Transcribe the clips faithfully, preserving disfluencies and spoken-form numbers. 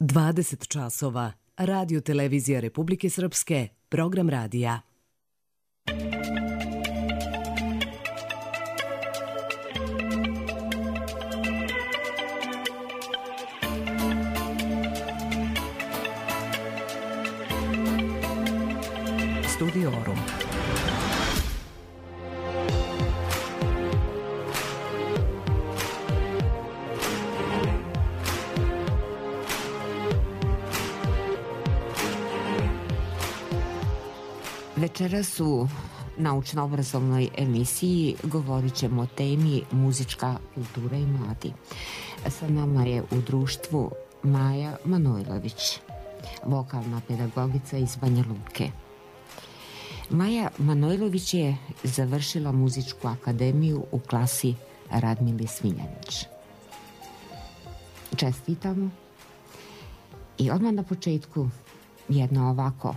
dvadeset časova. Radio Televizija Republike Srpske, program radija. Studiorum. Večeras u naučno-obrazovnoj emisiji govorit ćemo o temi muzička kultura i mladi. Sa nama je u društvu Maja Manojlović, vokalna pedagogica iz Banja Luke. Maja Manojlović je završila muzičku akademiju u klasi Radmile Smiljanić. Čestitamo. I odmah na početku jedno ovako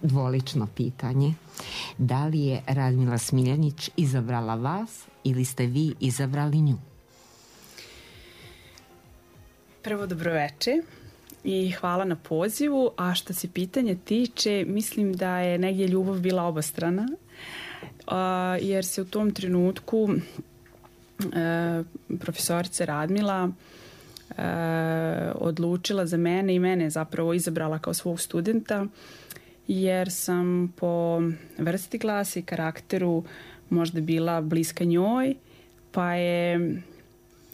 dvolično pitanje. Da li je Radmila Smiljanić izabrala vas ili ste vi izabrali nju? Prvo dobroveče i hvala na pozivu, a što se pitanja tiče, mislim da je negdje ljubav bila obostrana, jer se u tom trenutku profesorica Radmila odlučila za mene i mene zapravo izabrala kao svog studenta, jer sam po vrsti glasa i karakteru možda bila bliska njoj, pa je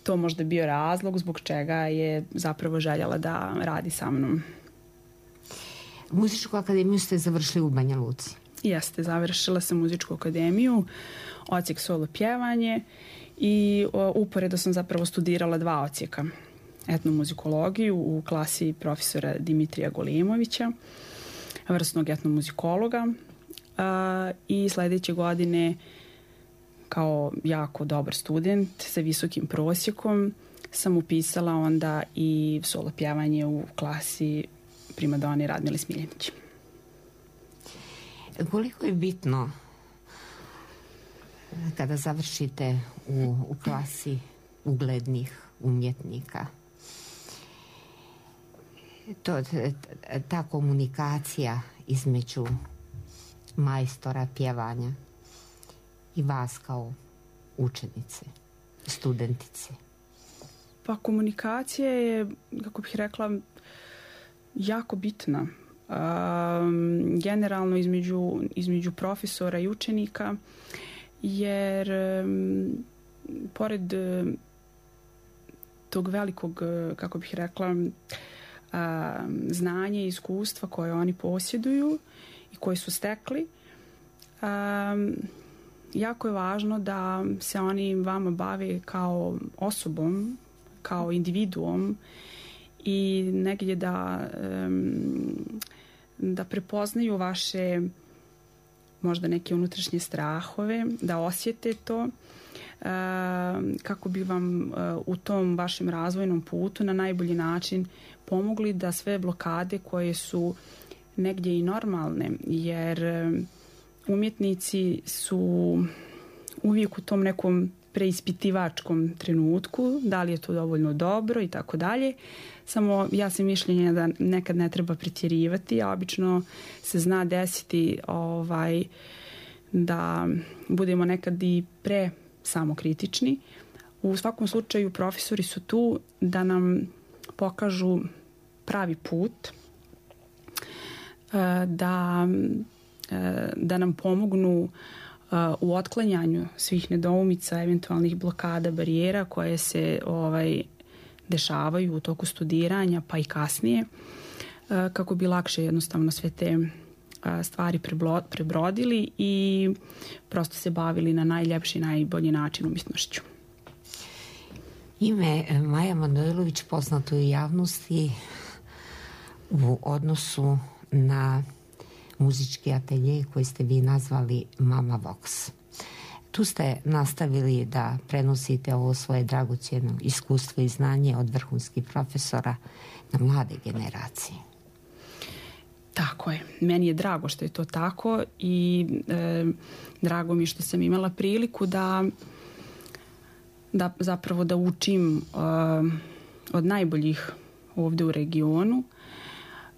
to možda bio razlog zbog čega je zapravo željela da radi sa mnom. Muzičku akademiju ste završili u Banja Luci? Jeste, završila sam muzičku akademiju, odsjek solo pjevanje i uporedo sam zapravo studirala dva odsjeka. Etnomuzikologiju u klasi profesora Dimitrija Golimovića, vrsnog etnomuzikologa, i sljedeće godine kao jako dobar student sa visokim prosjekom sam upisala onda i solo pjevanje u klasi primadone Radmile Smiljanić. Koliko je bitno kada završite u, u klasi uglednih umjetnika to, ta komunikacija između majstora pjevanja i vas kao učenice, studentice? Pa komunikacija je, kako bih rekla, jako bitna. Um, generalno između, između profesora i učenika, jer um, pored um, tog velikog, kako bih rekla, um, znanja i iskustva koje oni posjeduju i koje su stekli, um, jako je važno da se oni vama bave kao osobom, kao individuom i negdje da, um, da prepoznaju vaše možda neke unutrašnje strahove, da osjete to, um, kako bi vam uh, u tom vašem razvojnom putu na najbolji način pomogli da sve blokade koje su negdje i normalne, jer um, umjetnici su uvijek u tom nekom preispitivačkom trenutku, da li je to dovoljno dobro i tako dalje. Samo ja sam mišljenja da nekad ne treba pretjerivati, a obično se zna desiti ovaj, da budemo nekad i pre samokritični. U svakom slučaju profesori su tu da nam pokažu pravi put, da da nam pomognu u otklanjanju svih nedoumica, eventualnih blokada, barijera koje se ovaj, dešavaju u toku studiranja pa i kasnije, kako bi lakše jednostavno sve te stvari prebrodili i prosto se bavili na najljepši, najbolji način umjetnošću. Ime Maja Manojlović poznato je u javnosti u odnosu na muzički atelje koji ste vi nazvali Mama Vox. Tu ste nastavili da prenosite ovo svoje dragocjeno iskustvo i znanje od vrhunskih profesora na mlade generacije. Tako je. Meni je drago što je to tako i e, drago mi je što sam imala priliku da, da zapravo da učim e, od najboljih ovde u regionu.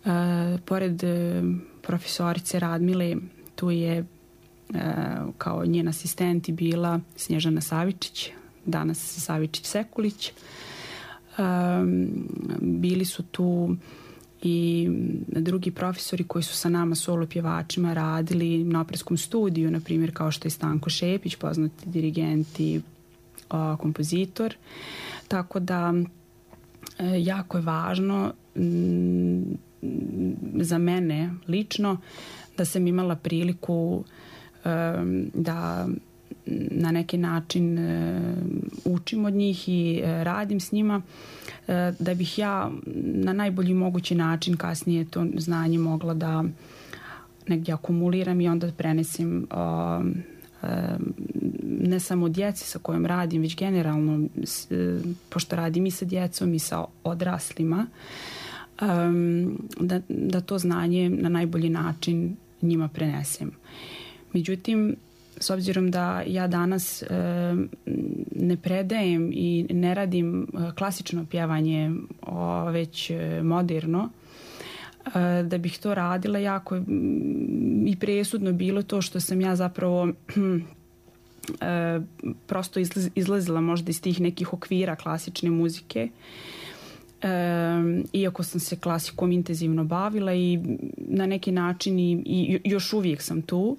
E, pored e, profesorice Radmile, tu je e, kao njen asistenti bila Snježana Savičić, danas Savičić Sekulić. E, bili su tu i drugi profesori koji su sa nama solo pjevačima radili na operskom studiju, na primjer kao što je Stanko Šepić, poznati dirigent i o, kompozitor. Tako da e, jako je važno m, za mene lično da sam imala priliku e, da na neki način e, učim od njih i e, radim s njima, e, da bih ja na najbolji mogući način kasnije to znanje mogla da negdje akumuliram i onda prenesim o, e, ne samo djeci sa kojom radim, već generalno, s, e, pošto radim i sa djecom i sa odraslima, e, da, da to znanje na najbolji način njima prenesem. Međutim, s obzirom da ja danas e, ne predajem i ne radim klasično pjevanje, o, već e, moderno, e, da bih to radila, jako i presudno bilo to što sam ja zapravo e, prosto izlaz, izlazila možda iz tih nekih okvira klasične muzike, e, iako sam se klasikom intenzivno bavila i na neki način i, i još uvijek sam tu.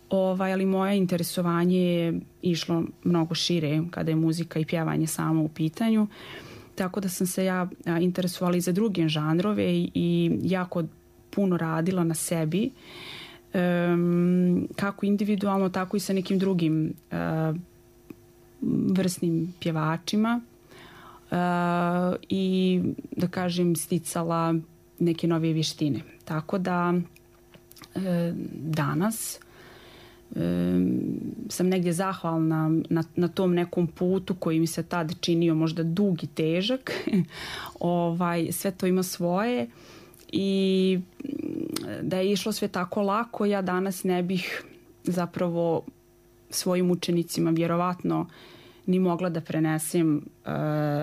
Ovaj, ali moje interesovanje je išlo mnogo šire kada je muzika i pjevanje samo u pitanju, tako da sam se ja interesovala i za druge žanrove i, i jako puno radila na sebi, um, kako individualno, tako i sa nekim drugim uh, vrsnim pjevačima uh, i da kažem sticala neke nove vještine. Tako da uh, danas sam negdje zahvalna na, na tom nekom putu koji mi se tad činio možda dug i težak. ovaj, sve to ima svoje i da je išlo sve tako lako, ja danas ne bih zapravo svojim učenicima vjerovatno ni mogla da prenesem uh,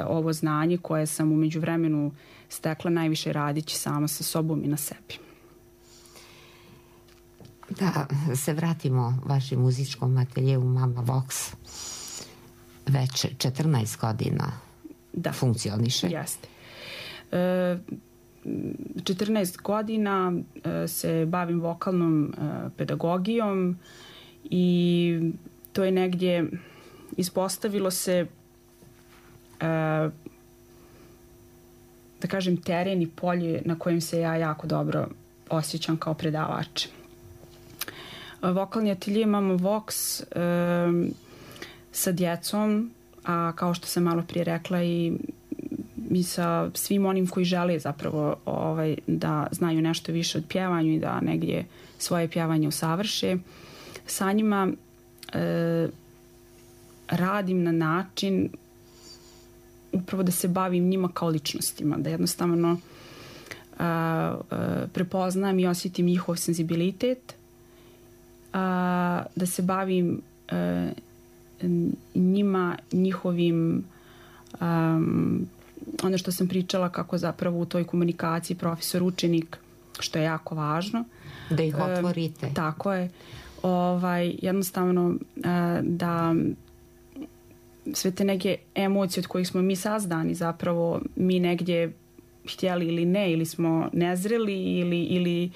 ovo znanje koje sam u međuvremenu stekla najviše radići sama sa sobom i na sebi. Da se vratimo vašem muzičkom ateljeu Mama Vox. Već četrnaest godina da funkcioniše. Jeste. E, četrnaest godina e, se bavim vokalnom e, pedagogijom i to je negdje ispostavilo se e, da kažem teren i polje na kojem se ja jako dobro osjećam kao predavač. Vokalni atelje Mama Vox e, sa djecom, a kao što sam malo prije rekla i, i sa svim onim koji žele zapravo ovaj, da znaju nešto više od pjevanju i da negdje svoje pjevanje usavrše. Sa njima e, radim na način upravo da se bavim njima kao ličnostima, da jednostavno a, a, prepoznam i osjetim njihov senzibilitet, a, da se bavim a, njima, njihovim um, ono što sam pričala kako zapravo u toj komunikaciji profesor-učenik, što je jako važno. Da ih otvorite. Um, tako je. Ovaj, jednostavno uh, da sve te neke emocije od kojih smo mi sazdani zapravo mi negdje htjeli ili ne, ili smo nezreli ili, ili,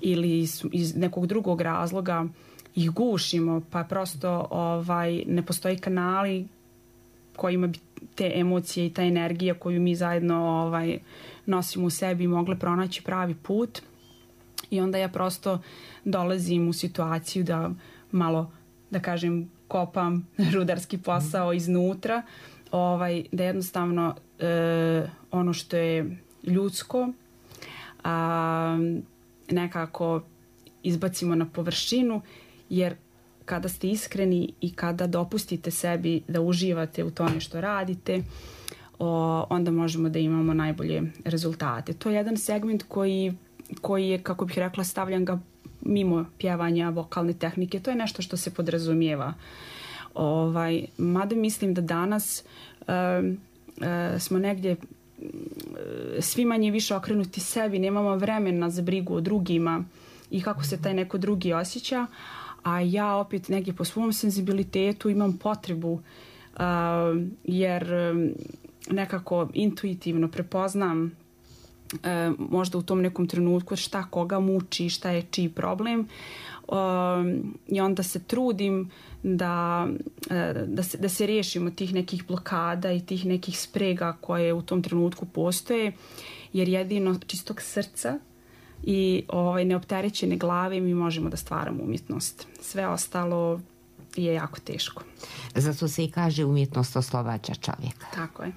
ili iz nekog drugog razloga ih gušimo, pa prosto ovaj, ne postoji kanali kojima bi te emocije i ta energija koju mi zajedno ovaj, nosimo u sebi mogle pronaći pravi put. I onda ja prosto dolazim u situaciju da malo, da kažem, kopam rudarski posao iznutra, ovaj, da jednostavno e, ono što je ljudsko a, nekako izbacimo na površinu, jer kada ste iskreni i kada dopustite sebi da uživate u tome što radite, o, onda možemo da imamo najbolje rezultate. To je jedan segment koji, koji je, kako bih rekla, stavljam ga mimo pjevanja vokalne tehnike. To je nešto što se podrazumijeva. Ovaj, mada mislim da danas um, uh, smo negdje svi manje više okrenuti sebi, nemamo vremena za brigu o drugima i kako se taj neko drugi osjeća, a ja opet negdje po svom senzibilitetu imam potrebu uh, jer nekako intuitivno prepoznam E, možda u tom nekom trenutku šta koga muči, šta je čiji problem, e, i onda se trudim da, e, da, se, da se riješimo tih nekih blokada i tih nekih sprega koje u tom trenutku postoje, jer jedino čistog srca i ovaj, neopterećene glave mi možemo da stvaramo umjetnost. Sve ostalo je jako teško. Zato se i kaže umjetnost oslobađa čovjeka. Tako je.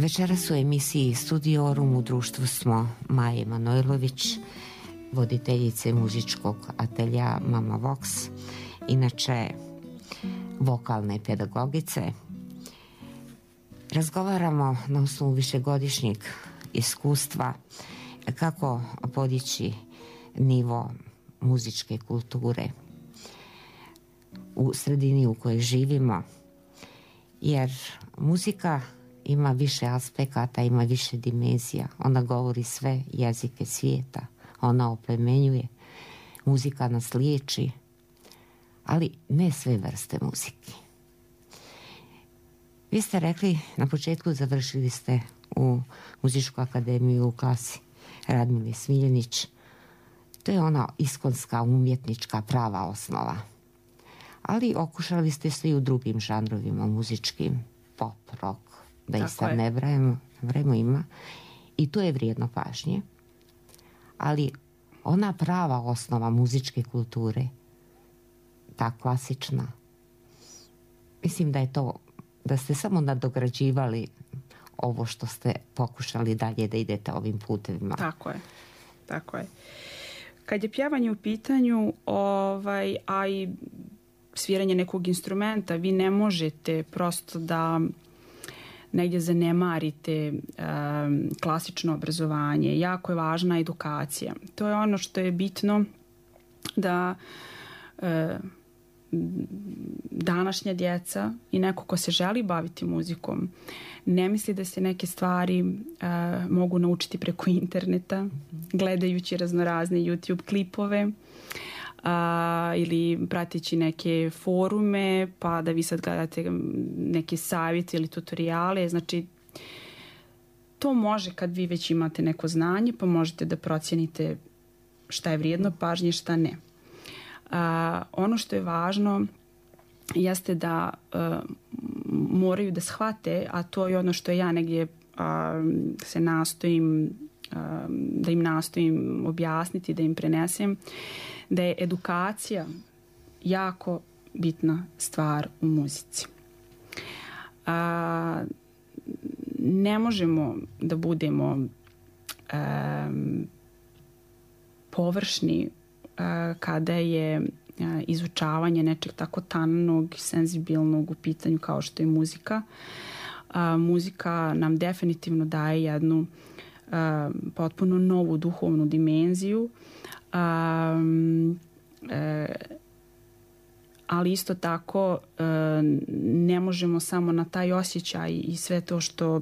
Večeras u emisiji Studiorum u društvu smo Maje Manojlović, voditeljice muzičkog atelja Mama Vox, inače vokalne pedagogice. Razgovaramo na osnovu višegodišnjeg iskustva kako podići nivo muzičke kulture u sredini u kojoj živimo, jer muzika ima više aspekata, ima više dimenzija. Ona govori sve jezike svijeta, ona oplemenjuje, muzika nas liječi, ali ne sve vrste muzike. Vi ste rekli na početku, završili ste u muzičku akademiju u klasi Radmile Smiljanić. To je ona iskonska umjetnička prava osnova. Ali okušali ste se i u drugim žanrovima muzičkim, pop, rock, da i sad ne vrajemo, vremo ima. I to je vrijedno pažnje. Ali ona prava osnova muzičke kulture, ta klasična, mislim da je to, da ste samo nadograđivali ovo što ste pokušali dalje da idete ovim putevima. Tako je, tako je. Kad je pjevanje u pitanju, ovaj, a i sviranje nekog instrumenta, vi ne možete prosto da negdje zanemarite um, klasično obrazovanje. Jako je važna edukacija. To je ono što je bitno da uh, današnja djeca i neko ko se želi baviti muzikom ne misli da se neke stvari uh, mogu naučiti preko interneta, gledajući raznorazne YouTube klipove uh, ili prateći neke forume, pa da vi sad gledate neke savjete ili tutoriale. Znači, to može kad vi već imate neko znanje, pa možete da procijenite šta je vrijedno pažnje, šta ne. Uh, ono što je važno jeste da uh, moraju da shvate, a to je ono što ja negdje uh, se nastojim uh, da im nastojim objasniti, da im prenesem, da je edukacija jako bitna stvar u muzici. Uh, ne možemo da budemo um, površni kada je izučavanje nečeg tako tannog i senzibilnog u pitanju kao što je muzika. A, muzika nam definitivno daje jednu a, potpuno novu duhovnu dimenziju, a, e, ali isto tako a, ne možemo samo na taj osjećaj i sve to što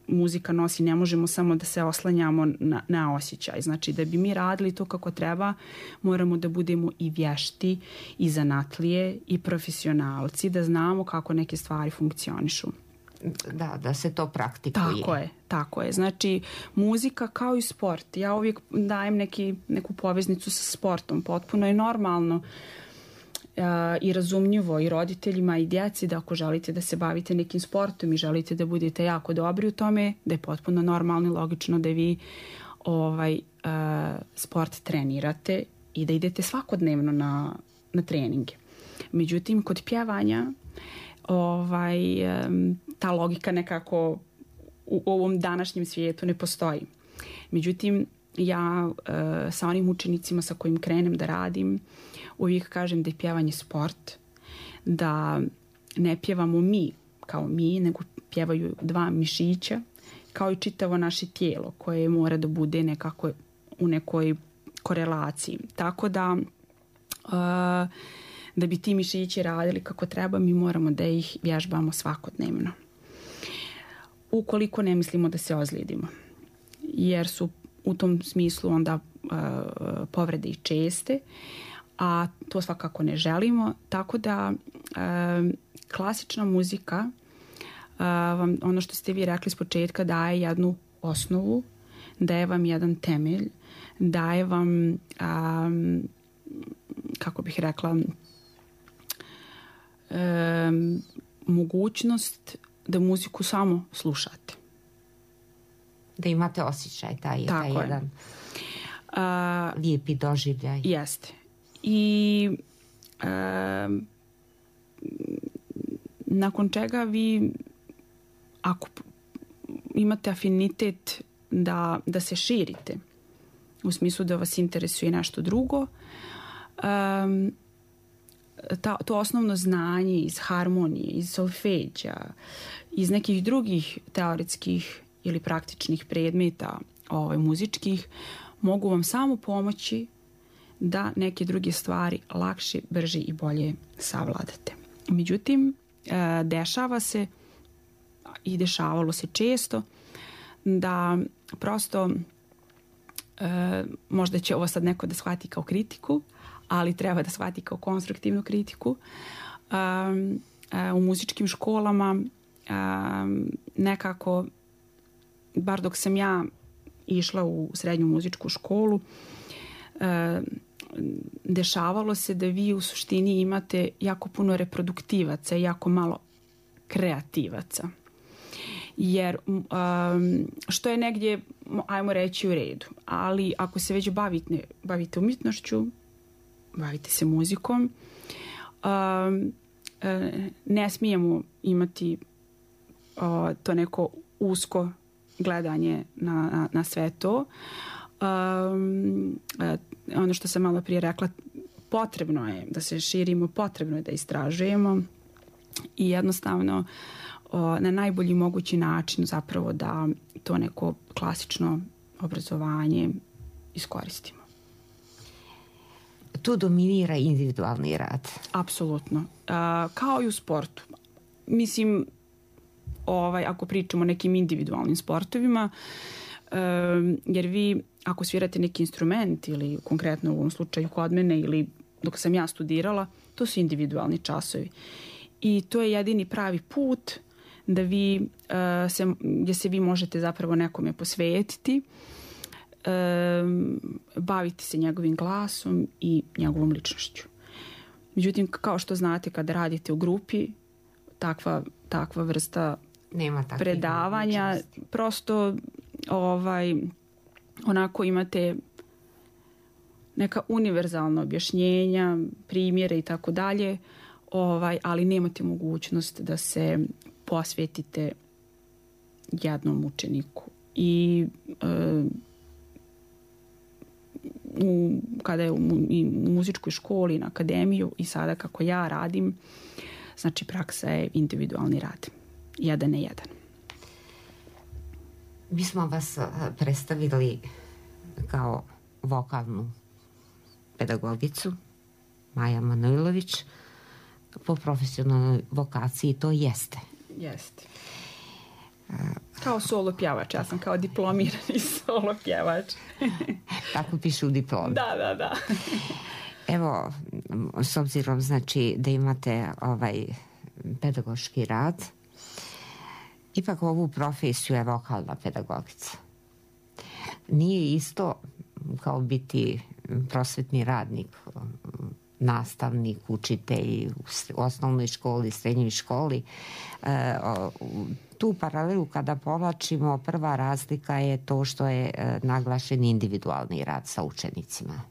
muzika nosi, ne možemo samo da se oslanjamo na, na osjećaj. Znači, da bi mi radili to kako treba, moramo da budemo i vješti, i zanatlije, i profesionalci, da znamo kako neke stvari funkcionišu. Da, da se to praktikuje. Tako je, tako je. Znači, muzika kao i sport. Ja uvijek dajem neki, neku poveznicu sa sportom. Potpuno je normalno i razumljivo i roditeljima i djeci da ako želite da se bavite nekim sportom i želite da budete jako dobri u tome, da je potpuno normalno i logično da vi ovaj, uh, sport trenirate i da idete svakodnevno na, na treninge. Međutim, kod pjevanja ovaj, um, ta logika nekako u ovom današnjem svijetu ne postoji. Međutim, ja uh, sa onim učenicima sa kojim krenem da radim, uvijek kažem da je pjevanje sport, da ne pjevamo mi kao mi, nego pjevaju dva mišića, kao i čitavo naše tijelo koje mora da bude nekako u nekoj korelaciji. Tako da uh, da bi ti mišići radili kako treba, mi moramo da ih vježbamo svakodnevno. Ukoliko ne mislimo da se ozlijedimo, jer su u tom smislu onda uh, povrede i česte, a to svakako ne želimo, tako da uh, klasična muzika, uh, vam, ono što ste vi rekli s početka, daje jednu osnovu, daje vam jedan temelj, daje vam um, kako bih rekla um, mogućnost da muziku samo slušate. Da imate osjećaj, taj, taj je. jedan uh, lijepi doživljaj. Jeste. I um, nakon čega vi, ako imate afinitet da, da se širite, u smislu da vas interesuje nešto drugo, um, ta, to osnovno znanje iz harmonije, iz solfeđa, iz nekih drugih teoretskih ili praktičnih predmeta ovaj, muzičkih, mogu vam samo pomoći da neke druge stvari lakše, brže i bolje savladate. Međutim, dešava se i dešavalo se često da prosto možda će ovo sad neko da shvati kao kritiku, ali treba da shvati kao konstruktivnu kritiku. U muzičkim školama nekako, bar dok sam ja išla u srednju muzičku školu, dešavalo se da vi u suštini imate jako puno reproduktivaca i jako malo kreativaca. Jer um, što je negdje, ajmo reći, u redu. Ali ako se već bavite, bavite umjetnošću, bavite se muzikom, um, ne smijemo imati uh, to neko usko gledanje na, na, na sve to. Um, ono što sam malo prije rekla, potrebno je da se širimo, potrebno je da istražujemo i jednostavno o, na najbolji mogući način zapravo da to neko klasično obrazovanje iskoristimo. Tu dominira individualni rad. Apsolutno. Uh, kao i u sportu. Mislim, ovaj, ako pričamo o nekim individualnim sportovima, uh, jer vi ako svirate neki instrument ili konkretno u ovom slučaju kod mene ili dok sam ja studirala, to su individualni časovi. I to je jedini pravi put da vi, uh, se, gdje se vi možete zapravo nekome posvetiti, um, baviti se njegovim glasom i njegovom ličnošću. Međutim, kao što znate, kada radite u grupi, takva, takva vrsta nema predavanja, mogućnosti. Prosto ovaj, onako imate neka univerzalna objašnjenja, primjere i tako dalje, ovaj, ali nemate mogućnost da se posvetite jednom učeniku. I e, u, kada je u, i u muzičkoj školi, na akademiju i sada kako ja radim, znači praksa je individualni rad. Jedan na jedan. Mi smo vas predstavili kao vokalnu pedagogicu, Maja Manojlović. Po profesionalnoj vokaciji to jeste. Jeste. Kao solo pjevač, ja sam kao diplomirani solo pjevač. Tako piše u diplomi. Da, da, da. Evo, s obzirom znači da imate ovaj pedagoški rad, ipak ovu profesiju je vokalna pedagogica. Nije isto kao biti prosvetni radnik, nastavnik, učitelj u osnovnoj školi, srednjoj školi. tu paralelu kada povlačimo, prva razlika je to što je naglašen individualni rad sa učenicima.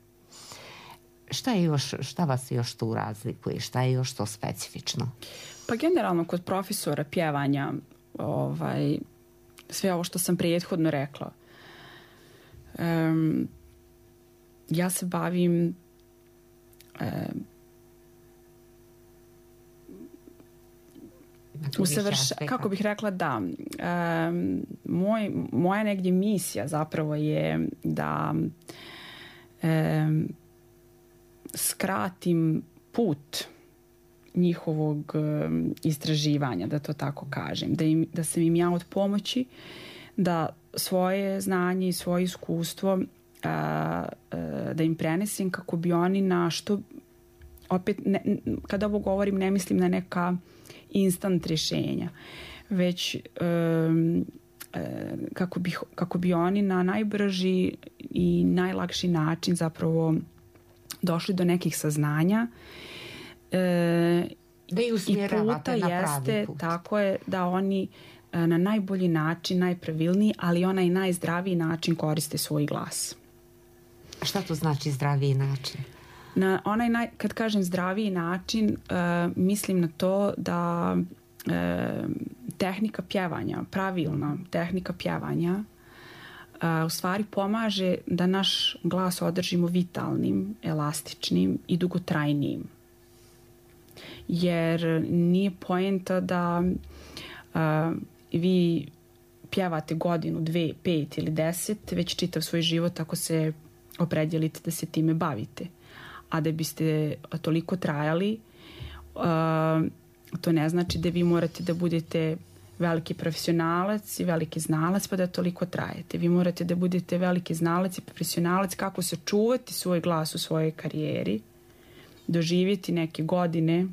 Šta je još, šta vas još tu razlikuje? Šta je još to specifično? Pa generalno kod profesora pjevanja, ovaj, sve ovo što sam prethodno rekla, um, ja se bavim um, usavrš... kako bih rekla da um, moj, moja negdje misija zapravo je da um, skratim put njihovog um, istraživanja, da to tako kažem, da, im, da sam im ja od pomoći da svoje znanje i svoje iskustvo uh, uh, da im prenesem kako bi oni na što opet, ne, kada ovo govorim ne mislim na neka instant rješenja, već um, uh, kako, bi, kako bi oni na najbrži i najlakši način zapravo došli do nekih saznanja e, da i usmjeravate i puta na pravi jeste, put. tako je, da oni e, na najbolji način, najpravilniji, ali onaj najzdraviji način koriste svoj glas. Šta to znači zdraviji način? Na onaj naj, kad kažem zdraviji način, e, mislim na to da e, tehnika pjevanja, pravilna tehnika pjevanja Uh, u stvari pomaže da naš glas održimo vitalnim, elastičnim i dugotrajnijim. Jer nije poenta da uh, vi pjevate godinu, dve, pet ili deset, već čitav svoj život ako se opredjelite da se time bavite. A da biste toliko trajali, uh, to ne znači da vi morate da budete veliki profesionalac i veliki znalac pa da toliko trajete. Vi morate da budete veliki znalac i profesionalac kako sačuvati svoj glas u svojoj karijeri, doživjeti neke godine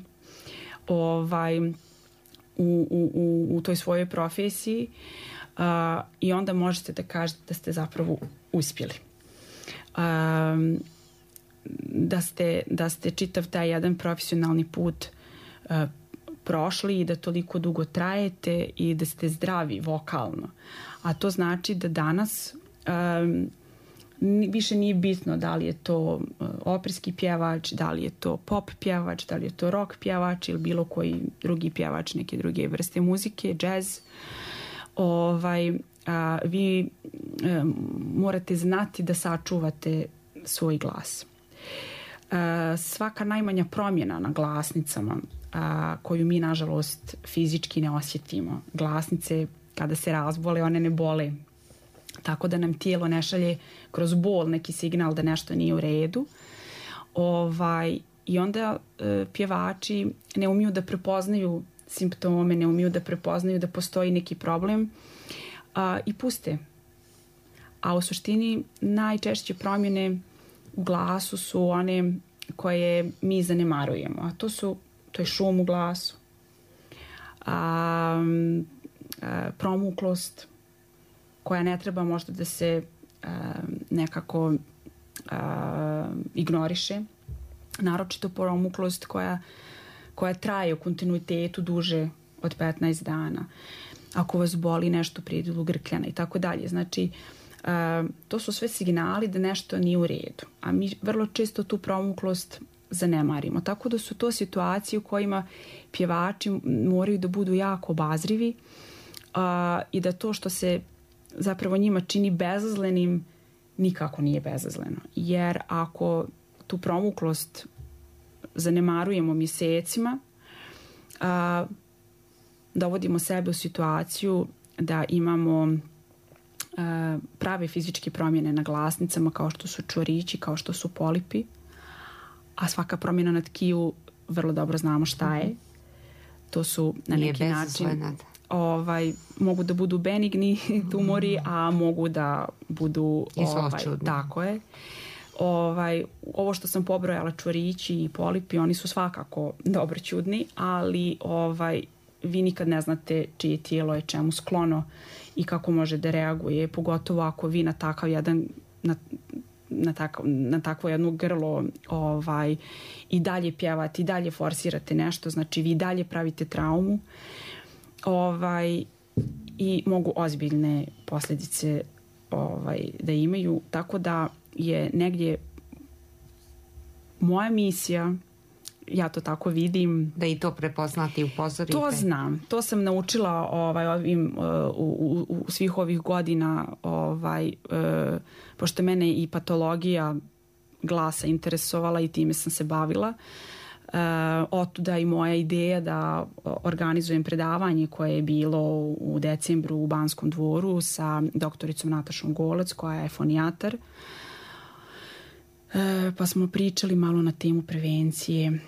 ovaj, u, u, u, u toj svojoj profesiji uh, i onda možete da kažete da ste zapravo uspjeli. Um, da, ste, da ste čitav taj jedan profesionalni put uh, prošli i da toliko dugo trajete i da ste zdravi vokalno. A to znači da danas um, više nije bitno da li je to uh, operski pjevač, da li je to pop pjevač, da li je to rock pjevač ili bilo koji drugi pjevač neke druge vrste muzike, jazz. Ovaj, a, vi um, morate znati da sačuvate svoj glas. Uh, svaka najmanja promjena na glasnicama a, koju mi nažalost fizički ne osjetimo. Glasnice kada se razbole one ne bole, tako da nam tijelo ne šalje kroz bol neki signal da nešto nije u redu. Ovaj, i onda e, pjevači ne umiju da prepoznaju simptome, ne umiju da prepoznaju da postoji neki problem a, i puste. A u suštini najčešće promjene u glasu su one koje mi zanemarujemo, a to su to je šum u glasu, a, a, promuklost koja ne treba možda da se a, nekako a, ignoriše, naročito promuklost koja, koja traje u kontinuitetu duže od petnaest dana, ako vas boli nešto prijedilo grkljana i tako dalje. Znači, a, to su sve signali da nešto nije u redu, a mi vrlo često tu promuklost zanemarimo. Tako da su to situacije u kojima pjevači moraju da budu jako obazrivi uh, i da to što se zapravo njima čini bezazlenim nikako nije bezazleno. Jer ako tu promuklost zanemarujemo mjesecima, uh, dovodimo sebe u situaciju da imamo uh, prave fizičke promjene na glasnicama kao što su čvorići, kao što su polipi, a svaka promjena na tkiju vrlo dobro znamo šta je. To su na neki način ovaj, mogu da budu benigni tumori, a mogu da budu ovaj, tako je. Ovaj, ovo što sam pobrojala, čvorići i polipi, oni su svakako dobro čudni, ali ovaj, vi nikad ne znate čije tijelo je čemu sklono i kako može da reaguje, pogotovo ako vi na takav jedan na, na, tako, na takvo jedno grlo ovaj, i dalje pjevate, i dalje forsirate nešto, znači vi dalje pravite traumu. Ovaj, i mogu ozbiljne posljedice ovaj, da imaju, tako da je negdje moja misija, ja to tako vidim, da i to prepoznati i upozorite. To znam, to sam naučila ovaj, ovim, u, u, u svih ovih godina, ovaj, uh, pošto mene i patologija glasa interesovala i time sam se bavila. Uh, otuda i moja ideja da organizujem predavanje koje je bilo u decembru u Banskom dvoru sa doktoricom Natašom Golec, koja je fonijatar. Uh, pa smo pričali malo na temu prevencije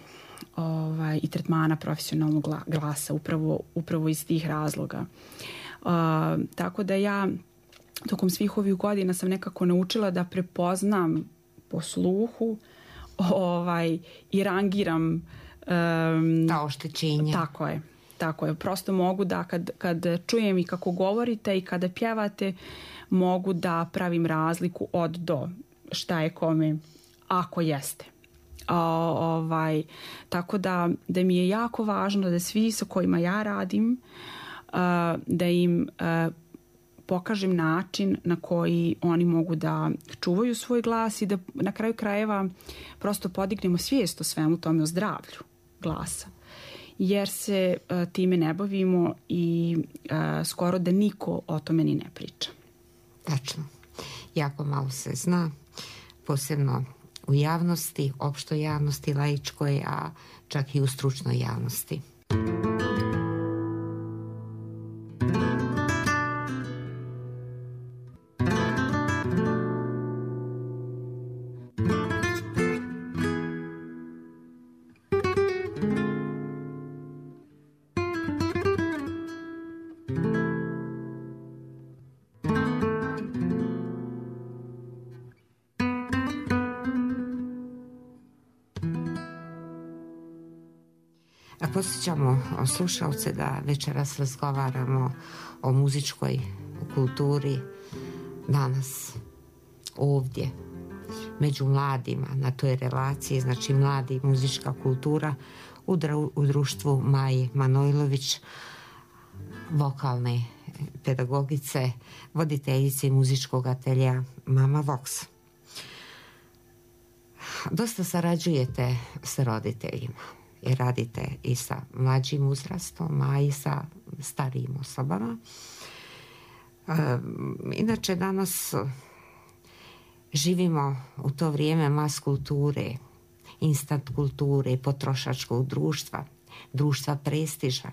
ovaj, i tretmana profesionalnog glasa, upravo, upravo iz tih razloga. Uh, tako da ja tokom svih ovih godina sam nekako naučila da prepoznam po sluhu ovaj, i rangiram um, ta oštećenja. Tako je, tako je. Prosto mogu da kad, kad čujem i kako govorite i kada pjevate, mogu da pravim razliku od do šta je kome, ako jeste. O, ovaj, tako da, da mi je jako važno da svi sa kojima ja radim, uh, da im uh, pokažem način na koji oni mogu da čuvaju svoj glas i da na kraju krajeva prosto podignemo svijest o svemu tome, o zdravlju glasa. Jer se uh, time ne bavimo i uh, skoro da niko o tome ni ne priča. Tačno. Jako malo se zna, posebno u javnosti, opštoj javnosti, laičkoj, a čak i u stručnoj javnosti. Posjećamo slušalce da večeras razgovaramo o muzičkoj kulturi danas, ovdje, među mladima, na toj relaciji, znači mladi i muzička kultura u, dru, u društvu Maje Manojlović, vokalne pedagogice, voditeljice muzičkog atelja Mama Vox. Dosta sarađujete s roditeljima. I radite i sa mlađim uzrastom, a i sa starijim osobama. E, inače, danas živimo u to vrijeme mas kulture, instant kulture, potrošačkog društva, društva prestiža.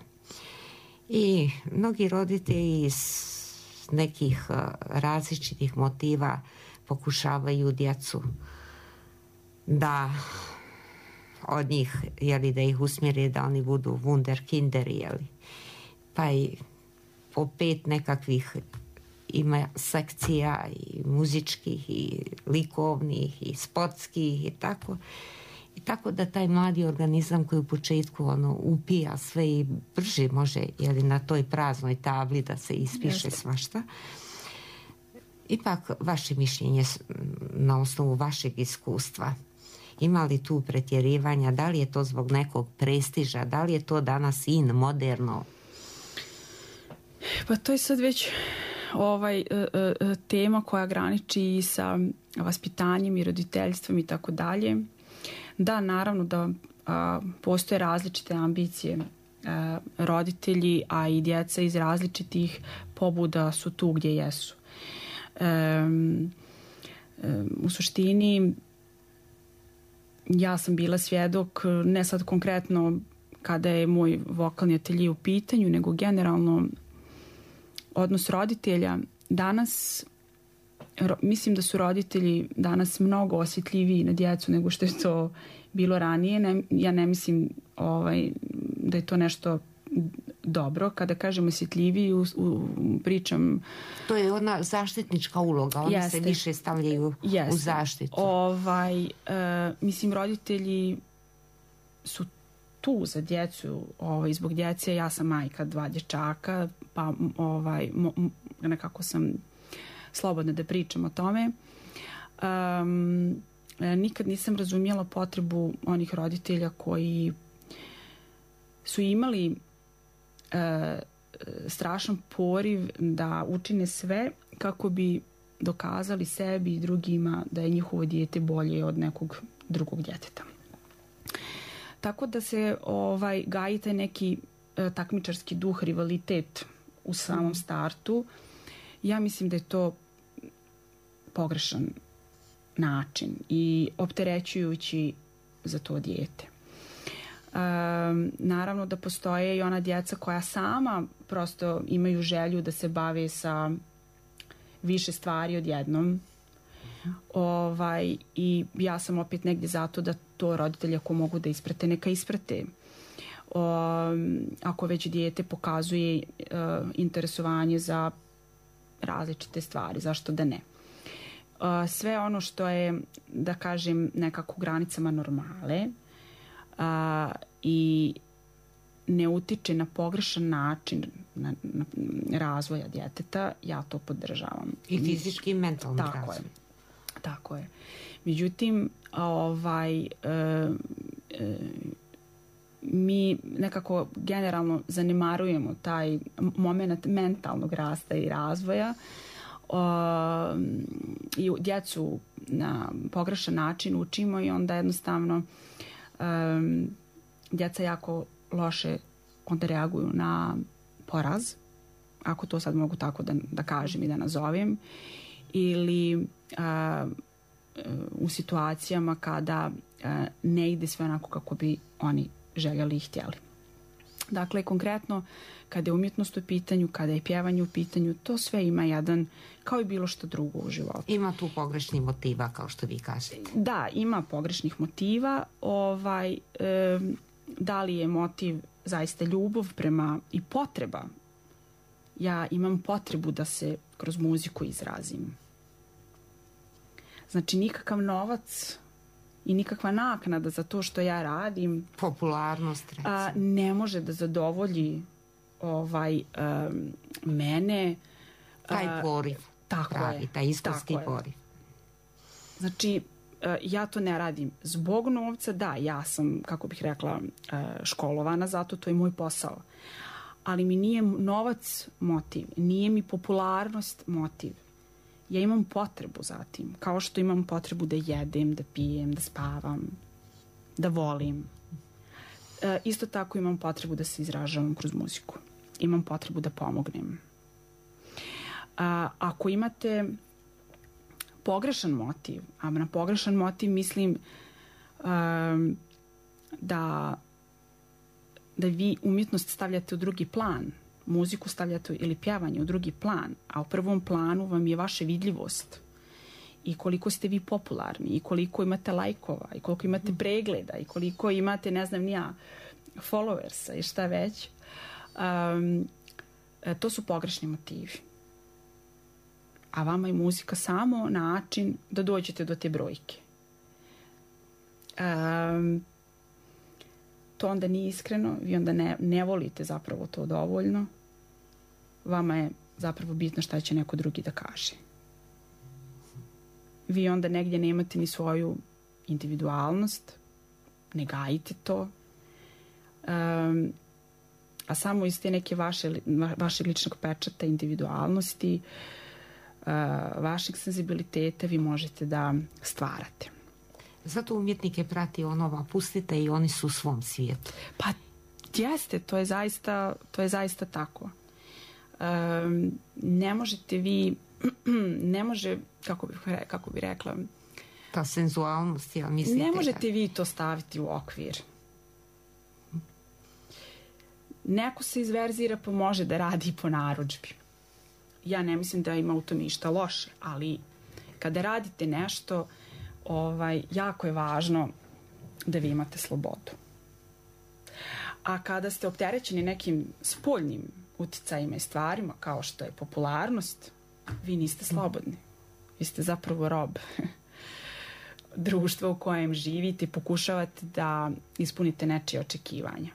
I mnogi roditelji iz nekih različitih motiva pokušavaju djecu da od njih, jeli, da ih usmjeri da oni budu wunderkinderi, jeli. Pa i po pet nekakvih ima sekcija i muzičkih i likovnih i sportskih i tako. I tako da taj mladi organizam koji u početku ono upija sve i brže može, jeli, na toj praznoj tabli da se ispiše svašta. Ipak vaše mišljenje na osnovu vašeg iskustva, ima li tu pretjerivanja, da li je to zbog nekog prestiža, da li je to danas in, moderno? Pa to je sad već ovaj, tema koja graniči sa vaspitanjem i roditeljstvom i tako dalje. Da, naravno da a, postoje različite ambicije. A, roditelji, a i djeca iz različitih pobuda su tu gdje jesu. A, a, u suštini ja sam bila svjedok, ne sad konkretno kada je moj vokalni atelje u pitanju, nego generalno odnos roditelja. Danas, ro, mislim da su roditelji danas mnogo osjetljiviji na djecu nego što je to bilo ranije. Ne, ja ne mislim ovaj, da je to nešto dobro. Kada kažem osjetljiviji, u, u, pričam... To je ona zaštitnička uloga. Oni jeste, se više stavljaju jeste. U zaštitu. Ovaj, uh, mislim, roditelji su tu za djecu. Ovaj, zbog djece, ja sam majka dva dječaka, pa ovaj, mo, nekako sam slobodna da pričam o tome. Um, nikad nisam razumjela potrebu onih roditelja koji su imali Uh, strašan poriv da učine sve kako bi dokazali sebi i drugima da je njihovo dijete bolje od nekog drugog djeteta. Tako da se ovaj, gaji taj neki e, takmičarski duh, rivalitet u samom startu. Ja mislim da je to pogrešan način i opterećujući za to dijete. Um, naravno da postoje i ona djeca koja sama prosto imaju želju da se bave sa više stvari odjednom. Ovaj, i ja sam opet negdje zato da to roditelji ako mogu da isprate, neka isprate. Um, ako već dijete pokazuje uh, interesovanje za različite stvari, zašto da ne. Uh, sve ono što je, da kažem, nekako u granicama normale uh, i ne utiče na pogrešan način na, na razvoja djeteta, ja to podržavam. I fizički i mentalni Tako razvoj. je. Tako je. Međutim, ovaj, e, e, mi nekako generalno zanemarujemo taj moment mentalnog rasta i razvoja o, i djecu na pogrešan način učimo i onda jednostavno um, djeca jako loše onda reaguju na poraz, ako to sad mogu tako da, da kažem i da nazovem, ili a, u situacijama kada a, ne ide sve onako kako bi oni željeli i htjeli. Dakle, konkretno, kada je umjetnost u pitanju, kada je pjevanje u pitanju, to sve ima jedan, kao i bilo što drugo u životu. Ima tu pogrešnih motiva, kao što vi kažete. Da, ima pogrešnih motiva. Ovaj, e, da li je motiv zaista ljubav prema i potreba? Ja imam potrebu da se kroz muziku izrazim. Znači, nikakav novac i nikakva naknada za to što ja radim, popularnost, recimo, a, ne može da zadovolji ovaj um, mene. taj poriv. Tako pravi, je. Taj iskonski tako poriv. Je. Znači, ja to ne radim zbog novca, da, ja sam, kako bih rekla, školovana, zato to je moj posao. Ali mi nije novac motiv, nije mi popularnost motiv. Ja imam potrebu za tim, kao što imam potrebu da jedem, da pijem, da spavam, da volim. E, isto tako imam potrebu da se izražavam kroz muziku. Imam potrebu da pomognem. A, ako imate pogrešan motiv, a na pogrešan motiv mislim um, da da vi umjetnost stavljate u drugi plan, muziku stavljate ili pjevanje u drugi plan, a u prvom planu vam je vaša vidljivost i koliko ste vi popularni i koliko imate lajkova i koliko imate pregleda i koliko imate, ne znam ni ja, followersa i šta već. Um, to su pogrešni motivi. A vama je muzika samo način da dođete do te brojke. Um, to onda nije iskreno, vi onda ne, ne volite zapravo to dovoljno. Vama je zapravo bitno šta će neko drugi da kaže. Vi onda negdje nemate ni svoju individualnost, ne gajite to, um, a samo iz te neke vaše, vaše ličnog pečata, individualnosti, Uh, vašeg senzibiliteta vi možete da stvarate. Zato umjetnike prati onova, pustite i oni su u svom svijetu. Pa jeste, to je zaista, to je zaista tako. Um, ne možete vi, ne može, kako bih, kako bih rekla, ta senzualnost, ja mislite. Ne možete vi to staviti u okvir. Neko se izverzira pa može da radi po narudžbi. Ja ne mislim da ima u tom ništa loše, ali kada radite nešto, ovaj, jako je važno da vi imate slobodu. A kada ste opterećeni nekim spoljnim uticajima i stvarima, kao što je popularnost, vi niste slobodni. Vi ste zapravo rob društva u kojem živite i pokušavate da ispunite nečije očekivanja.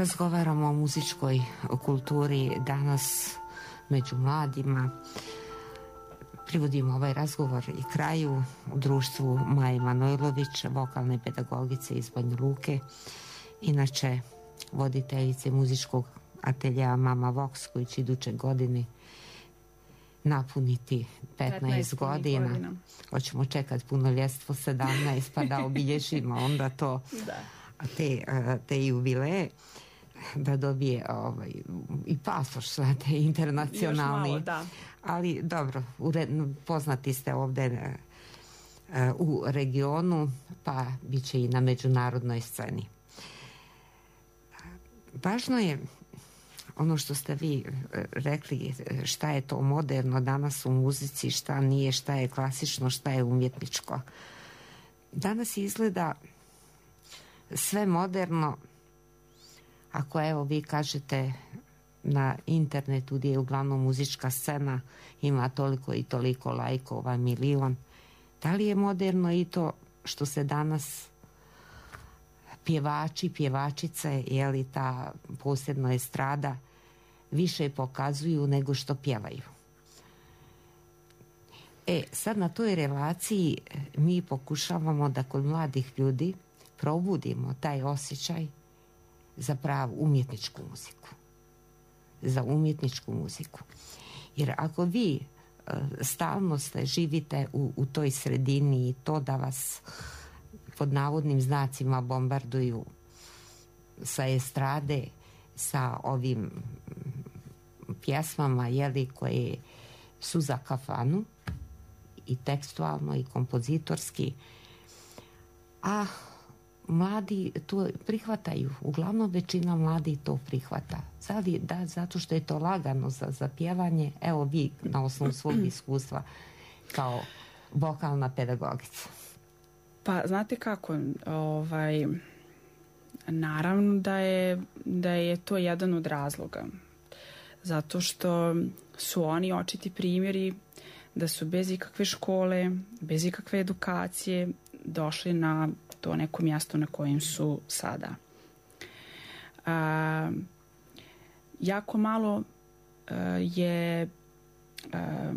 razgovaramo o muzičkoj kulturi danas među mladima. Privodimo ovaj razgovor i kraju u društvu Maje Manojlović, vokalne pedagogice iz Banja Luke, inače voditeljice muzičkog ateljeja Mama Vox, koji će iduće godine napuniti petnaest godina. godina. Hoćemo čekati punoljetstvo sedamnaest pa da obilježimo onda to, da. te, te jubileje, da dobije ovaj, i pasoš sve te internacionalni. Još malo, da. Ali dobro, poznati ste ovdje u regionu, pa bit će i na međunarodnoj sceni. Važno je ono što ste vi rekli, šta je to moderno danas u muzici, šta nije, šta je klasično, šta je umjetničko. Danas izgleda sve moderno, ako evo vi kažete na internetu gdje je uglavnom muzička scena, ima toliko i toliko lajkova, milion. Da li je moderno i to što se danas pjevači, pjevačice, je li ta posebno estrada, više pokazuju nego što pjevaju? E, sad na toj relaciji mi pokušavamo da kod mladih ljudi probudimo taj osjećaj za pravu umjetničku muziku. Za umjetničku muziku. Jer ako vi e, stalno ste, živite u, u toj sredini i to da vas pod navodnim znacima bombarduju sa estrade, sa ovim pjesmama, jeli, koje su za kafanu i tekstualno i kompozitorski, a mladi to prihvataju, uglavnom većina mladi to prihvata. Zali, da, zato što je to lagano za, za pjevanje. Evo vi na osnovu svog iskustva kao vokalna pedagogica. Pa znate kako, ovaj, naravno da je, da je to jedan od razloga. Zato što su oni očiti primjeri da su bez ikakve škole, bez ikakve edukacije došli na to neko mjesto na kojem su sada. A, jako malo a, je a,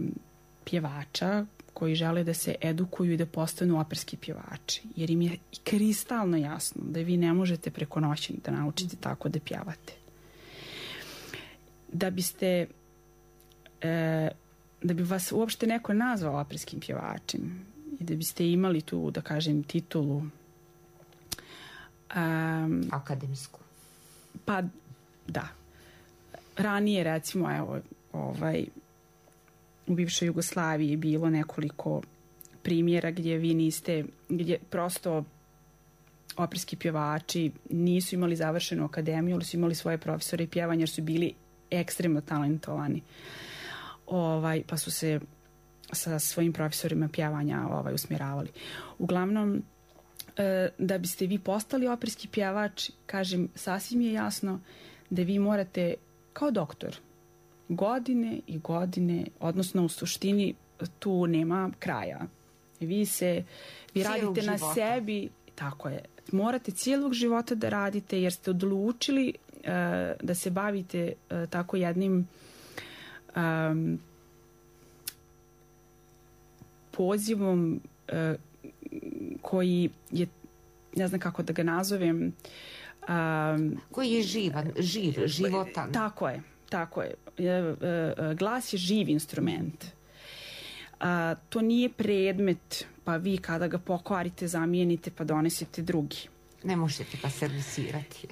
pjevača koji žele da se edukuju i da postanu operski pjevači. Jer im je kristalno jasno da vi ne možete preko noći da naučite tako da pjevate. Da biste e, da bi vas uopšte neko nazvao operskim pjevačem i da biste imali tu, da kažem, titulu um, akademsku. Pa da. Ranije, recimo, evo, ovaj, u bivšoj Jugoslaviji je bilo nekoliko primjera gdje vi niste, gdje prosto operski pjevači nisu imali završenu akademiju, ali su imali svoje profesore pjevanja jer su bili ekstremno talentovani. Ovaj, pa su se sa svojim profesorima pjevanja ovaj, usmjeravali. Uglavnom, e, da biste vi postali operski pjevač, kažem, sasvim je jasno da vi morate, kao doktor, godine i godine, odnosno u suštini tu nema kraja. Vi se, vi cijelog radite života na sebi, tako je, morate cijelog života da radite jer ste odlučili uh, da se bavite uh, tako jednim um, pozivom uh, koji je, ne znam kako da ga nazovem, um, koji je živan, živ, životan. Tako je. Tako je. Glas je živ instrument. A, to nije predmet, pa vi kada ga pokvarite, zamijenite, pa donesete drugi. Ne možete ga servisirati.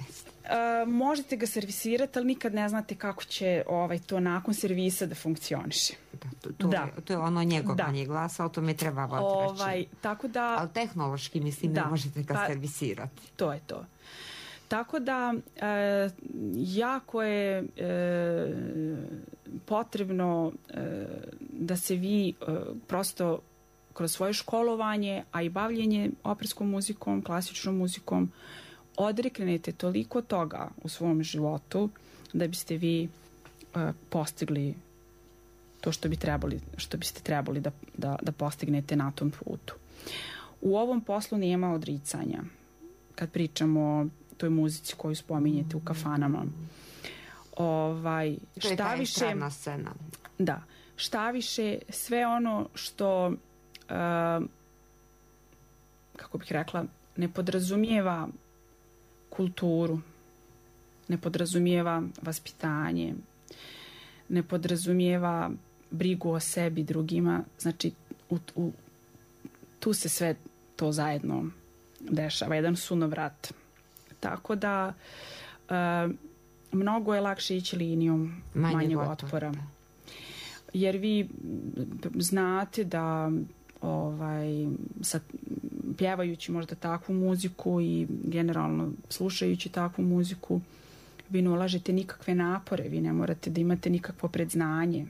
A, možete ga servisirati, ali nikad ne znate kako će ovaj, to nakon servisa da funkcioniše. Da, to, to, da. Je, to je ono njegovanje glasa, o tome treba voditi ovaj, tako da, ali tehnološki, mislim, da, ne možete ga pa, servisirati. To je to. Tako da e, jako je e, potrebno e, da se vi e, prosto kroz svoje školovanje, a i bavljenje operskom muzikom, klasičnom muzikom, odreknete toliko toga u svom životu da biste vi e, postigli to što bi trebali, što biste trebali da, da, da postignete na tom putu. U ovom poslu nema odricanja. Kad pričamo toj muzici koju spominjete u kafanama. Ovaj, to je ta estradna scena. Da. Šta više, sve ono što, uh, kako bih rekla, ne podrazumijeva kulturu, ne podrazumijeva vaspitanje, ne podrazumijeva brigu o sebi, drugima, znači u, u, tu se sve to zajedno dešava, jedan sunovrat. Tako da uh, mnogo je lakše ići linijom manjeg, manjeg otpora. Jer vi znate da ovaj, sad, pjevajući možda takvu muziku i generalno slušajući takvu muziku, vi ne ulažete nikakve napore, vi ne morate da imate nikakvo predznanje.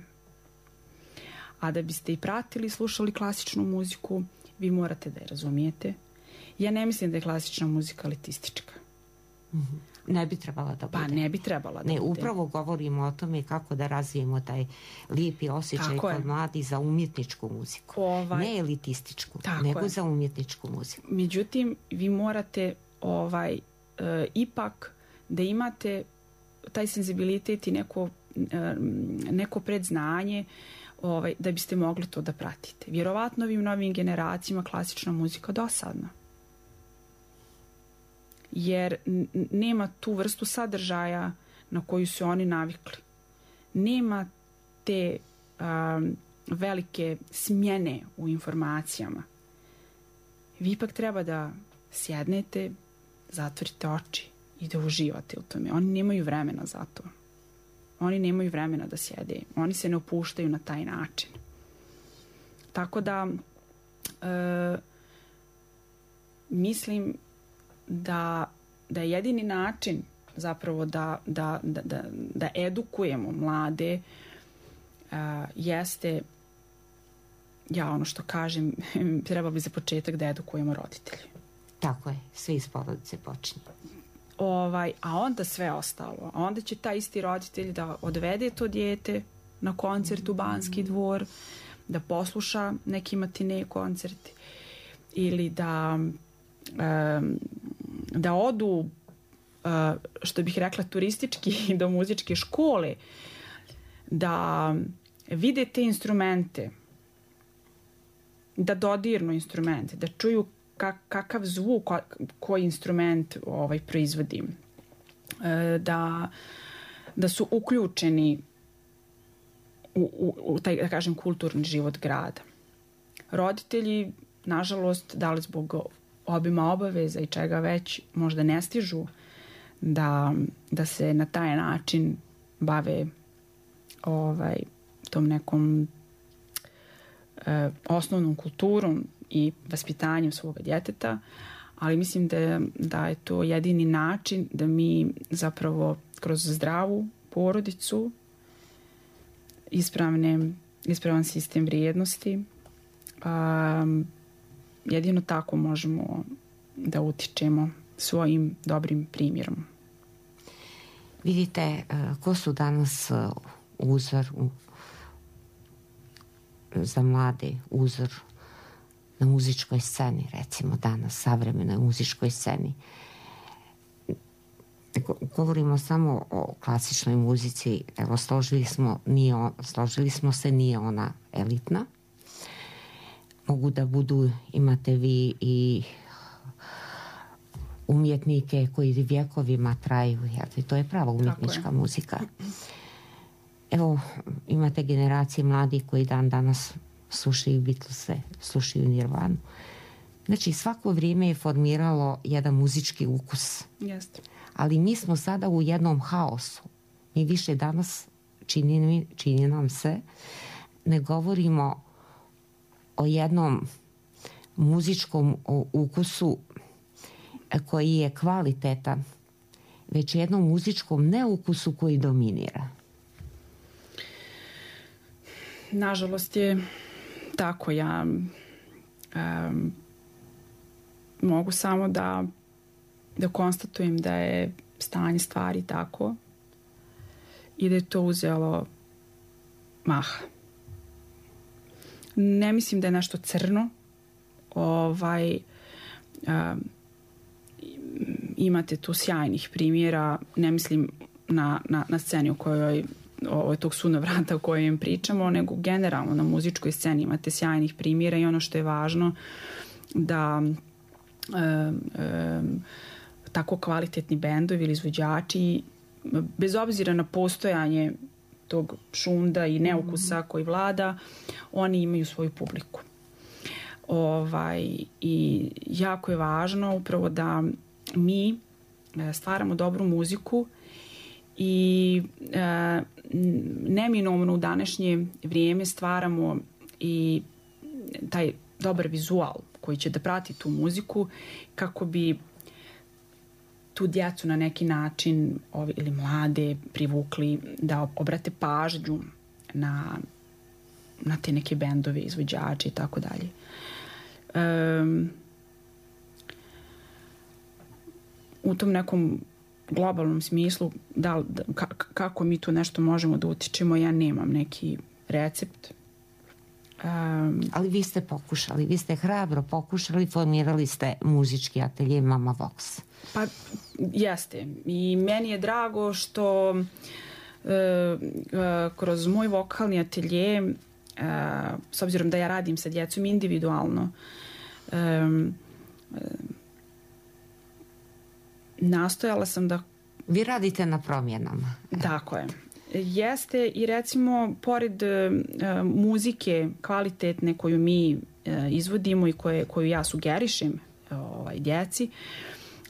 A da biste i pratili, slušali klasičnu muziku, vi morate da je razumijete. Ja ne mislim da je klasična muzika elitistička. Mm-hmm. Ne bi trebala da bude. Pa ne bi trebala da ne, bude. Upravo govorimo o tome kako da razvijemo taj lijepi osjećaj kod mladih za umjetničku muziku. Ovaj, ne elitističku, nego je. Za umjetničku muziku. Međutim, vi morate ovaj, e, ipak da imate taj senzibilitet i neko, e, neko predznanje ovaj, da biste mogli to da pratite. Vjerovatno ovim novim generacijama klasična muzika dosadna. Jer nema tu vrstu sadržaja na koju su oni navikli. Nema te um, velike smjene u informacijama. Vi ipak treba da sjednete, zatvorite oči i da uživate u tome. Oni nemaju vremena za to. Oni nemaju vremena da sjede. Oni se ne opuštaju na taj način. Tako da e, mislim da, da je jedini način zapravo da, da, da, da, da edukujemo mlade uh, jeste, ja ono što kažem, treba bi za početak da edukujemo roditelji. Tako je, sve iz porodice počinje. Ovaj, a onda sve ostalo. A onda će taj isti roditelj da odvede to dijete na koncert u Banski dvor, da posluša neki matine koncerti ili da um, da odu, što bih rekla, turistički do muzičke škole, da vide te instrumente, da dodirnu instrumente, da čuju kak, kakav zvuk koji instrument ovaj, proizvodi, da, da su uključeni u, u, u taj, da kažem, kulturni život grada. Roditelji, nažalost, da li zbog obima obaveza i čega već, možda ne stižu da, da se na taj način bave ovaj, tom nekom eh, osnovnom kulturom i vaspitanjem svoga djeteta, ali mislim da, da je to jedini način da mi zapravo kroz zdravu porodicu, ispravne, ispravan sistem vrijednosti, um, jedino tako možemo da utičemo svojim dobrim primjerom. Vidite, ko su danas uzor za mlade, uzor na muzičkoj sceni, recimo danas, savremenoj muzičkoj sceni. Govorimo samo o klasičnoj muzici, evo složili smo, nije on, složili smo se, nije ona elitna. Mogu da budu, imate vi i umjetnike koji vjekovima traju, jer to je prava umjetnička muzika. Evo, imate generacije mladih koji dan danas slušaju Beatlese, slušaju Nirvanu. Znači, svako vrijeme je formiralo jedan muzički ukus. Jeste. Ali mi smo sada u jednom haosu. Mi više danas, čini, čini nam se, ne govorimo o jednom muzičkom ukusu koji je kvalitetan, već jednom muzičkom neukusu koji dominira. Nažalost je tako. Ja um, mogu samo da da konstatujem da je stanje stvari tako i da je to uzelo maha. Ne mislim da je nešto crno. Ovaj, um, imate tu sjajnih primjera, ne mislim na, na, na sceni o kojoj ovo tog sunovrata o kojem pričamo, nego generalno na muzičkoj sceni imate sjajnih primjera i ono što je važno da e, e, tako kvalitetni bendovi ili izvođači, bez obzira na postojanje tog šunda i neukusa koji vlada, oni imaju svoju publiku. Ovaj, i jako je važno upravo da mi stvaramo dobru muziku i e, neminovno u današnje vrijeme stvaramo i taj dobar vizual koji će da prati tu muziku kako bi tu djecu na neki način ovi, ili mlade privukli da obrate pažnju na, na te neke bendove, izvođače i tako dalje. Um, u tom nekom globalnom smislu da, da, kako mi tu nešto možemo da utičemo, ja nemam neki recept. Um, Ali vi ste pokušali, vi ste hrabro pokušali, formirali ste muzički atelje Mama Vox. Pa jeste. I meni je drago što e, e, kroz moj vokalni atelje, e, s obzirom da ja radim sa djecom individualno, e, e, nastojala sam da... Vi radite na promjenama. Tako je. Jeste i recimo pored e, muzike kvalitetne koju mi e, izvodimo i koje, koju ja sugerišem ovaj, djeci,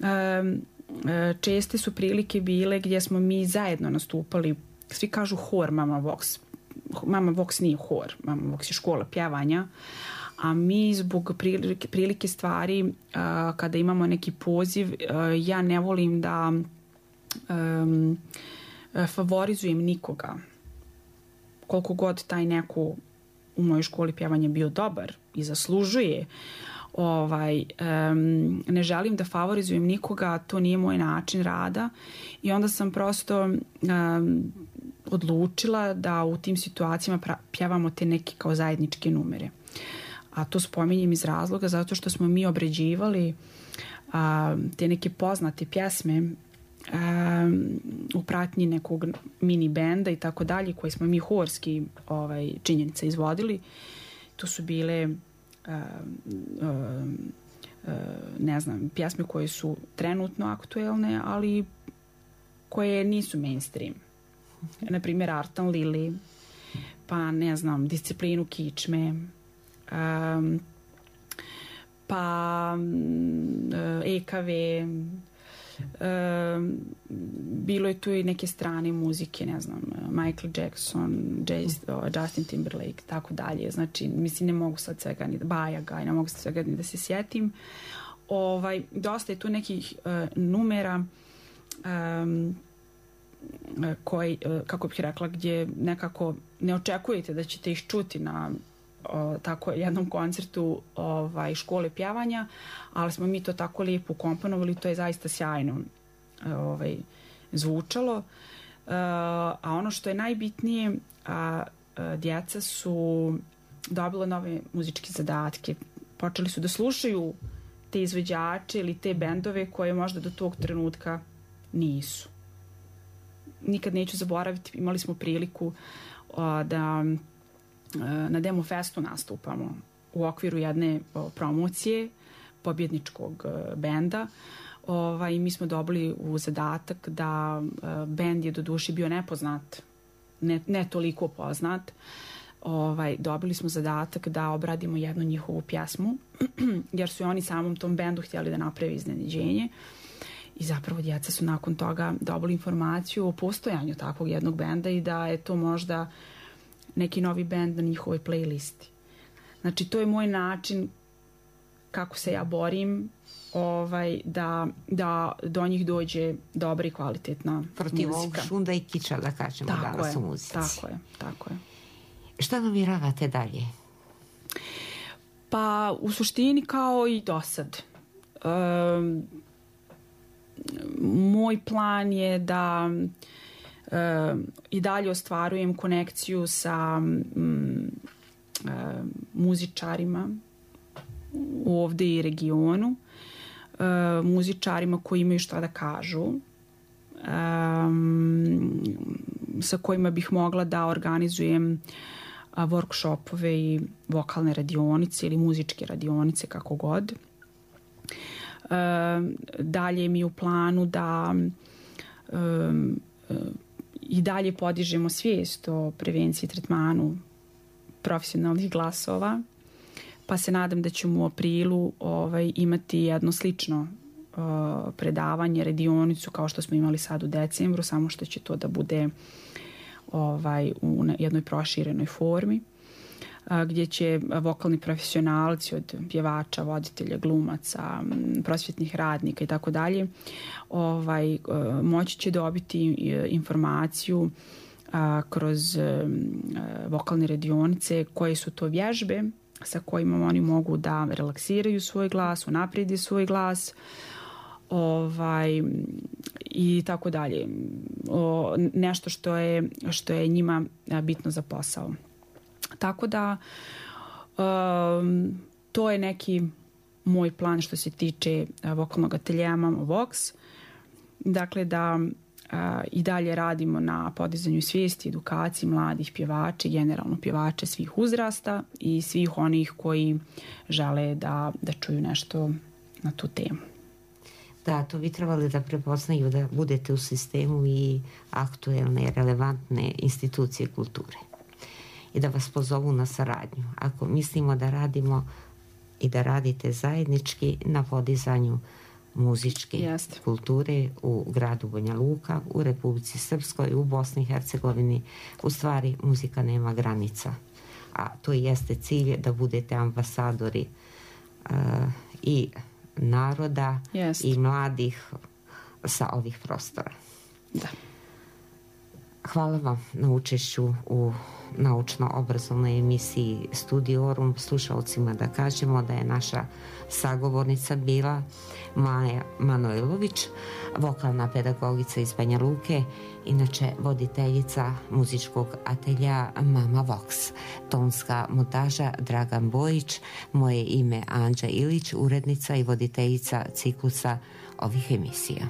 e, česte su prilike bile gdje smo mi zajedno nastupali. Svi kažu hor Mama Vox. Mama Vox nije hor. Mama Vox je škola pjevanja. A mi zbog prilike, prilike stvari a, kada imamo neki poziv, a, ja ne volim da a, a, favorizujem nikoga. Koliko god taj neko u mojoj školi pjevanja bio dobar i zaslužuje, ovaj, um, ne želim da favorizujem nikoga, to nije moj način rada i onda sam prosto um, odlučila da u tim situacijama pra- pjevamo te neke kao zajedničke numere. A to spominjem iz razloga zato što smo mi obređivali a, te neke poznate pjesme a, u pratnji nekog mini benda i tako dalje, koje smo mi horski ovaj, činjenica izvodili. To su bile a, a, a, ne znam, pjesme koje su trenutno aktuelne, ali koje nisu mainstream. Na primjer Artan Lili, pa ne znam, Disciplinu kičme, Um, pa E K V, um, bilo je tu i neke strane muzike, ne znam, Michael Jackson, Justin Timberlake, tako dalje. Znači, mislim, ne mogu sad svega ni da Bajaga, ne mogu sad svega ni da se sjetim. Ovaj, dosta je tu nekih uh, numera um, koji, uh, kako bih rekla, gdje nekako ne očekujete da ćete ih čuti na O, tako jednom koncertu ovaj, škole pjevanja, ali smo mi to tako lijepo ukomponovali, to je zaista sjajno ovaj, zvučalo. E, a ono što je najbitnije, a, a, djeca su dobila nove muzičke zadatke, počeli su da slušaju te izvođače ili te bendove koje možda do tog trenutka nisu. Nikad neću zaboraviti, imali smo priliku a, da na Demo Festu nastupamo u okviru jedne o, promocije pobjedničkog o, benda. Ovaj, mi smo dobili u zadatak da o, bend je do duše bio nepoznat, ne, ne toliko poznat. Ovaj, dobili smo zadatak da obradimo jednu njihovu pjesmu, jer su oni samom tom bendu htjeli da naprave iznenađenje. I zapravo djeca su nakon toga dobili informaciju o postojanju takvog jednog benda i da je to možda neki novi bend na njihovoj playlisti. Znači, to je moj način kako se ja borim ovaj, da, da do njih dođe dobra i kvalitetna protiv muzika. Protiv ovog šunda i kiča, da kažemo, tako danas je, u muzici. Tako je, tako je. Šta namjeravate dalje? Pa, u suštini kao i do sad. Um, moj plan je da Uh, i dalje ostvarujem konekciju sa um, uh, muzičarima ovdje i regionu. muzičarima koji imaju šta da kažu, um, sa kojima bih mogla da organizujem a, workshopove i vokalne radionice ili muzičke radionice, kako god. Um, dalje mi je u planu da um, i dalje podižemo svijest o prevenciji i tretmanu profesionalnih glasova, pa se nadam da ćemo u aprilu ovaj, imati jedno slično uh, predavanje, radionicu kao što smo imali sad u decembru, samo što će to da bude ovaj, u jednoj proširenoj formi, uh, gdje će vokalni profesionalci od pjevača, voditelja, glumaca, prosvjetnih radnika i tako dalje, ovaj, uh, moći će dobiti informaciju a, kroz a, vokalne radionice koje su to vježbe sa kojima oni mogu da relaksiraju svoj glas, unaprijede svoj glas, ovaj, i tako dalje. O, nešto što je, što je njima bitno za posao. Tako da um, to je neki moj plan što se tiče vokalnog ateljeja Mama Vox. Dakle, da a, i dalje radimo na podizanju svijesti, edukaciji mladih pjevača, generalno pjevača svih uzrasta i svih onih koji žele da, da čuju nešto na tu temu. Da, to bi trebali da prepoznaju da budete u sistemu i aktuelne i relevantne institucije kulture i da vas pozovu na saradnju. Ako mislimo da radimo i da radite zajednički na podizanju muzičke Jest. kulture u gradu Banja Luka, u Republici Srpskoj, u Bosni i Hercegovini, u stvari muzika nema granica. A to jeste cilj da budete ambasadori uh, i naroda Jest. i mladih sa ovih prostora. Da. Hvala vam na učešću u naučno-obrazovnoj emisiji Studiorum. Slušalcima da kažemo da je naša sagovornica bila Maja Manojlović, vokalna pedagogica iz Banja Luke, inače voditeljica muzičkog atelja Mama Vox. Tonska montaža Dragan Bojić, moje ime Anđa Ilić, urednica i voditeljica ciklusa ovih emisija.